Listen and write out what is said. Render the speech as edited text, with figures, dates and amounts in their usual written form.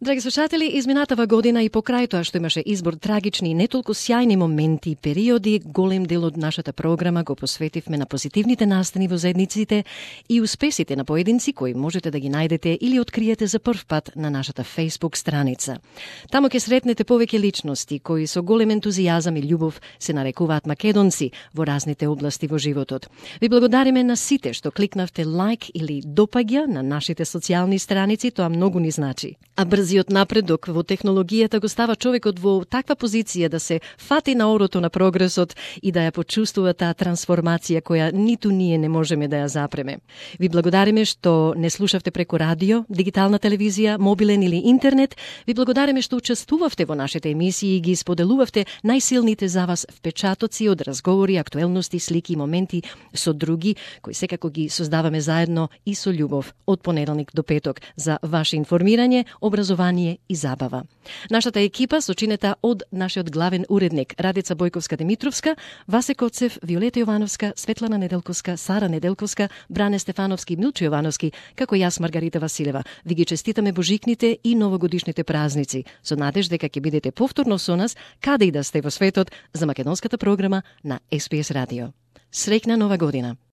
Драги слушатели, изминатава година и покрај тоа што имаше избор трагични и не толку сјајни моменти и периоди, голем дел од нашата програма го посветивме на позитивните настани во заедниците и успесите на поединци кои можете да ги најдете или откриете за прв пат на нашата Facebook страница. Таму ќе сретнете повеќе личности кои со голем ентузијазам и љубов се нарекуваат македонци во разните области во животот. Ви благодариме на сите што кликнавте лайк или допаѓа на нашите социјални страници, тоа многу ни значи. А брзиот напредок во технологијата го става човекот во таква позиција да се фати на орото на прогресот и да ја почувствува таа трансформација која ниту ние не можеме да ја запреме. Ви благодариме што не слушавте преку радио, дигитална телевизија, мобилен или интернет. Ви благодариме што учествувавте во нашите емисии и ги споделувавте најсилните за вас впечатоци од разговори, актуелности, слики и моменти со други, кои секако ги создаваме заедно и со љубов од понеделник до петок за ваше информирање, образование и забава. Нашата екипа сочинета од нашиот главен уредник Радица Бојковска-Димитровска, Васе Коцев, Виолета Јовановска, Светлана Неделковска, Сара Неделковска, Бране Стефановски и Милчо Јовановски, како јас Маргарита Василева. Ви ги честитаме божикните и новогодишните празници, со надеж дека ќе бидете повторно со нас, каде и да сте во светот, за македонската програма на SPS Радио. Среќна нова година!